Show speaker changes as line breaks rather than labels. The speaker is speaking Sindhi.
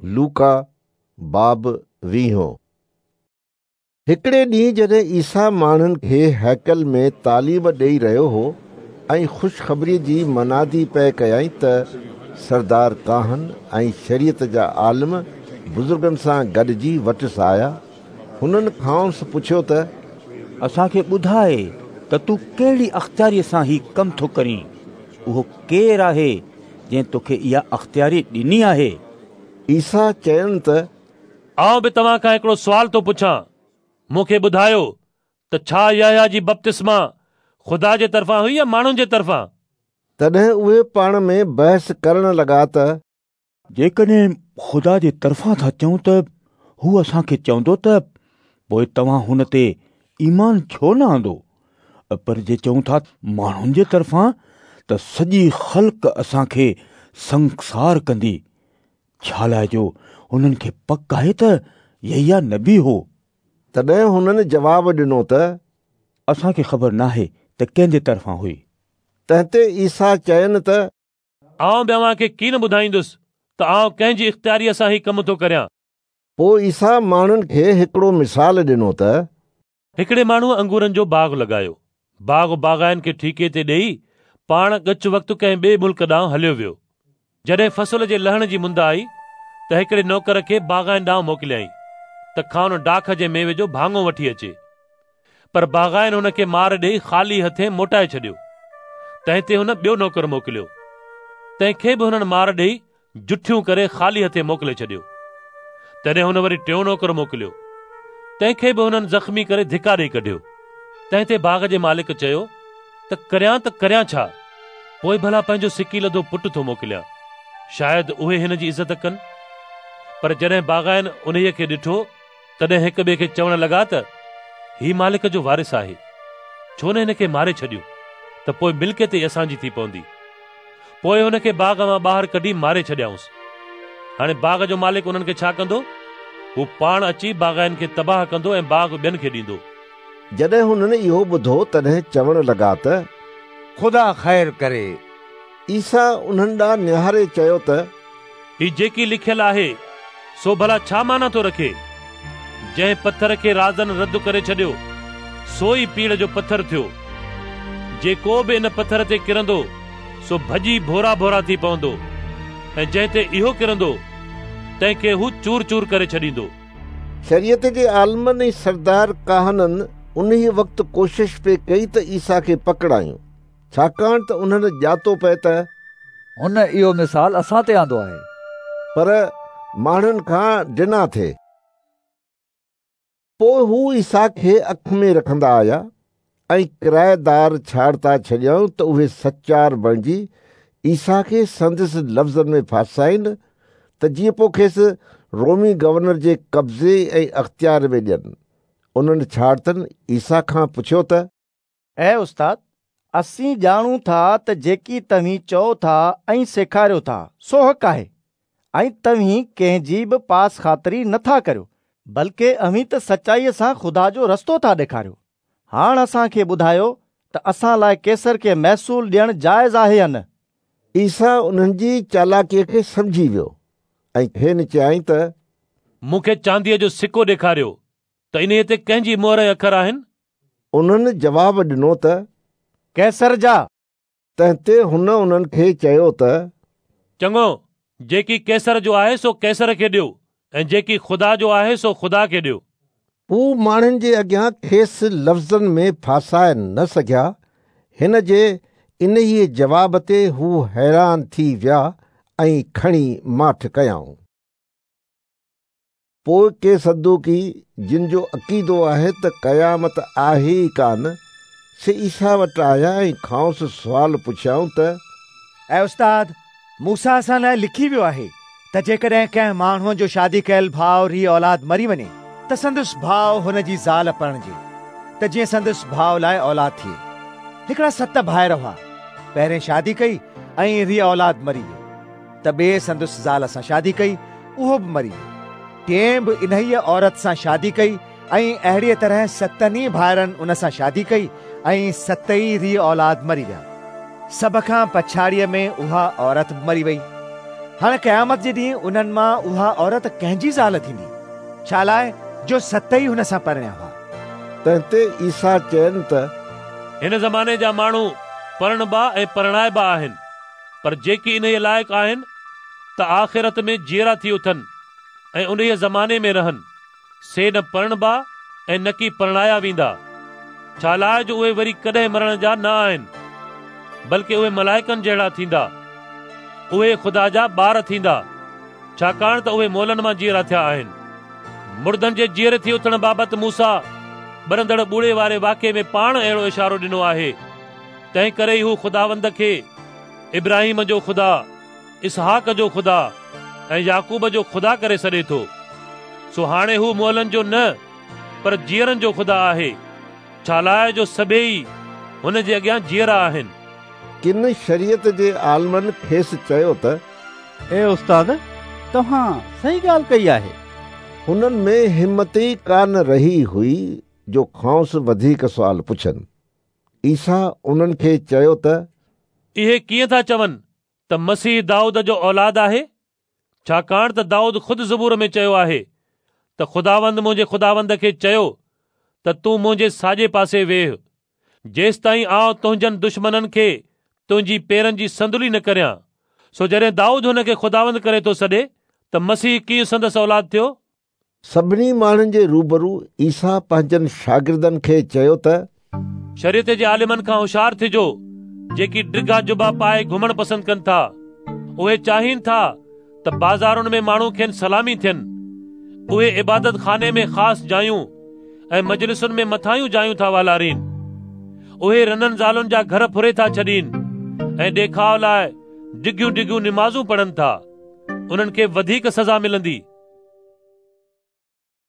لوڪا باب ويهون. هڪڙي ڏينهن جڏهن عيسيٰ ماڻهن کي هيڪل ۾ تعليم ڏيئي رهيو هو ۽ خوشخبريء جي منادي پئي ڪيائين ته سردار ڪاهن ۽ شريعت جا عالم بزرگن سان گڏجي وٽس آيا. هنن کانئس پڇيو ته.
اسان کي ٻڌاء ته تون ڪهڙي اختياريء سان هي ڪم ٿو ڪرين؟ اهو ڪير آهي جنهن توکي اها اختياري ڏني آهي؟
عيسيٰ چين ته.
آئون به توهان کان هڪڙو سوال ٿو پڇان، مون کي ٻڌايو ته ڇا يحيٰ جي بپتسما خدا جي طرفان هئي يا ماڻهن جي طرفان؟
تڏهن اهي پاڻ ۾ بحث ڪرڻ لڳا ته.
جيڪڏهن خدا جي طرفان ٿا چئون ته هو اسان کي چوندو ته پوء توهان هن تي ايمان ڇو نه آندو؟ پر جي چئون ٿا ماڻهن جي طرفان ته سڄي خلق اسان کي سنگسار ڪندي، ڇالاء جو هنن کي پڪ آهي ته يحيٰ نبي هو.
تڏهن هنن جواب ڏنو ته.
اسان کي خبر ناهي ته ڪنهن جي طرفان هئي.
تنهن تي عيسيٰ چين ته.
آئون به اوهان کي ڪين ٻڌائيندس ته آئون ڪنهن جي اختياريء سان هي ڪم ٿو ڪريان.
پوء عيسيٰ ماڻهن کي هڪڙو مثال ڏنو ته.
هڪڙي ماڻهوء انگورن جو باغ لڳايو. باغ باغائين کي ٺيڪي تي ڏيئي پاڻ ڳچ وقت ڪنهن ٻئي ملڪ ڏانهن هليو ويو. جڏهن فصل جي لهڻ جي مند آئي ته هڪڙي نوڪر کي باغائين ڏانهن موڪليائين ته کانئن ڊاک جي ميوي جو ڀاڱو وٺي اچي. پر باغائين هن کي مار ڏيئي خالي هٿين موٽائي ڇڏيو. تنهن تي هن ٻيو نوڪر موڪليو، تنهن کي به هنن مار ڏيئي جٺيون ڪري خالي هٿين موڪلي ڇڏيو. تڏهن هن وري ٽيون نوڪر موڪليو، تنهن کي به هنن زخمي ڪري ڌڪا ڏيئي ڪڍيو. تنهن تي باغ جي مالڪ چيو ته ڪريان ته ڪريان ڇا؟ پوء ڀلا پنهنجو سڪيلڌو پٽ ٿو موڪليان، شايد اهي هن جي عزت ڪن. پر جڏهن باغائين انهيء کي ڏٺو تڏهن هڪ ٻئي کي چوڻ لڳا ته هي مالڪ جو وارث آهي، ڇو نه هن کي ماري ڇڏيون ته پوء ملڪيت ئي اسان جي ٿي پوندي. پوء هن کي باغ مان ٻاهر ڪڍي ماري ڇڏيائونس. هاڻي باغ جو مالڪ انهن کي ڇا ڪندو؟ هو پاڻ اچي باغائين کي تباهه ڪندو ۽ باغ ٻين کي ڏيندو.
جڏهن هنن اهو ٻڌو تڏهن چوڻ لڳا ته.
خدا خير ڪري.
عيسيٰ انهن ڏانهن نهاري چيو ته.
هي جيڪي لکيل آهي، سو ڀلا ڇا معنيٰ ٿو رکي؟ جنهن پٿر کي رازن رد ڪري ڇڏيو، سو ئي پيڙهه جو پٿر ٿيو. جيڪو به ان پٿر تي ڪرندو، سو ڀڄي ڀورا ڀورا ٿي پوندو ۽ جنهن تي اهو ڪرندو، تنهن کي هو چور چور ڪري ڇڏيندو.
شريعت جي عالمن ۽ سردار ڪاهنن انهيء وقت ڪوشش پئي ڪئي ته عيسيٰ کي پڪڙايون. ڇاڪاڻ ته انهن ڄاتو پئي ته.
هن اهو مثال اسان تي آندو آهي.
پر ماڻهن کان ڊنا ٿي. پوء هو عيسيٰ کي اک ۾ رکندا آيا ۽ ڪرائيدار ڇاڙتا ڇڏيائون ته اهي سچار بڻجي عيسيٰ کي سندس لفظن ۾ ڦاسائين ته جيئن پوء کيس رومي گورنر جي قبضي ۽ اختيار ۾ ڏين. انهن ڇاڙتن عيسيٰ کان پڇيو ته.
اي استاد، اسين ڄاڻون ٿا ته جيڪي توهين چئو ٿا ۽ سيکاريو ٿا، سو حق آهي ۽ توهين ڪنهن جي به پاس خاطري نه ٿا ڪريو، بلڪه اوهين ته سچائيء سان خدا جو رستو ٿا ڏيکاريو. هاڻ اسان کي ٻڌايو ته اسان لاء قيصر کي محصول ڏيڻ جائز آهي يا نه؟
عيسيٰ انهن جي چالاڪيء کي سمجهي ويو ۽ کين چيائين ته.
مون کي چانديء جو سڪو ڏيکاريو ته انهيء تي ڪنهن جي مهر ۽ اکر آهن؟
انهن جواب ڏنو ته.
قيصر جا.
تنهن تي هن انهن کي چيو ته.
چڱو، جيڪي قيصر جو آهي سو قيصر کي ڏيو ۽ جيڪي خدا جو آهي سو خدا کي ڏيو.
هو ماڻهن جي اڳيان کيس لفظن ۾ ڦاسائي نه سگهيا. هن جي انهيء جواب تي هو حيران ٿي ويا ۽ کڻي ماٺ ڪيائون. پوء ڪي صدوقي، جن جو عقيدو آهي ته قيامت آهي ئي ڪانه، سي عيسيٰ وٽ آيا ۽ کانئس سوال پڇيائون ته.
اي استاد، موسيٰ اسان لاء لکي ويو آهي ته جيڪڏهن ڪنهن ماڻهوء جو شادي ڪيل ڀاء ري اولاد مري وڃي ته سندس ڀاء هن جي زال پرڻجي ته جيئن سندس ڀاء لاء اولاد ٿئي. هڪڙا ست ڀائر هئا. پهرين شادي ڪئي ۽ ري اولاد مري ويو. ته ٻئي سندس زال سان شادي ڪئي، اهو به مري ويو. ٽئين به انهيء عورت سان شادي ڪئي ۽ اهڙيء طرح ستن ئي ڀائرن ان سان شادي ڪئي ۽ ست ئي ري اولاد مري ويا. سڀ کان پڇاڙيء ۾ اها عورت به مري وئي. هاڻي قيامت جي ڏينهن انهن مان اها عورت ڪنهن جي زال ٿيندي؟ ڇالاء جو ست ئي هن سان پرڻيا هئا.
تنهن تي عيسيٰ چين ته،
هن زماني جا ماڻهو پرڻبا ۽ پرڻائبا آهن، پر جيڪي انهيء لائق آهن ته آخرت ۾ جيئرا ٿي اٿن ۽ انهيء زماني ۾ رهن، سي نه پرڻبا ۽ نڪي پرڻايا ويندا، ڇالاء جو اهي وري ڪڏهن مرڻ جا نه آهن، بلڪ اهي ملائڪن جهڙا ٿيندا. اهي خدا جا ٻار ٿيندا، ڇاڪاڻ ته اهي مئلن مان جيئرا ٿيا آهن. مردن جي جيئري ٿي اٿڻ بابت موسيٰ ٻرندڙ ٻوڙي واري واقعي ۾ پاڻ اهڙو اشارو ڏنو آهي، تنهنڪري ئي هو خداوند کي ابراهيم جو خدا، اسحاق جو خدا ۽ يعقوب جو خدا ڪري سڏي ٿو. سو هاڻي هو مئلن جو نه پر جيئرن جو خدا آهي، ڇالاء جو سڀيئي هن جي اڳيان جيئرا آهن.
ڪن شريعت جي عالمن کيس چيو ته،
اي استاد، توهان صحيح ڳالهه ڪئي آهي.
هنن ۾ همت ئي ڪانه رهي هئي جو کانئس وڌيڪ سوال پڇن. عيسيٰ انهن کي چيو ته،
اهي ڪيئن ٿا چون ته مسيح دائود جو اولاد آهي؟ ڇاڪاڻ ته دائود خود زبور ۾ چيو آهي ته خداوند منهنجي خداوند کي چيو ته تون منهنجي ساڄي پاسي ويهه، جيستائين آئون تنهنجن دشمنن کي تنهنجي پيرن جي صندلي نه ڪريان. سو جڏهن دائود هن کي خداوند ڪري ٿو سڏي ته مسيح ڪيئن سندس اولاد ٿيو؟
سڀني ماڻهن جي روبرو عيسيٰ پنهنجن شاگردن کي چيو ته،
شريعت جي عالمن کان هوشيار ٿجو، جيڪي ڊگها جبا پائي گهمڻ پسند ڪن ٿا. اهي چاهين ٿا ته بازارن ۾ ماڻهو کين سلامي ٿين. اهي عبادت خاني ۾ خاص جايون ۽ مجلسن ۾ مٿاهيون جايون ٿا والارين. اهي رنن زالن جا گهر ڦري ٿا ڇڏين ۽ ڏيکاء لاء ڊگهيون ڊگهيون نمازون پڙهن ٿا. انهن کي وڌيڪ سزا ملندي.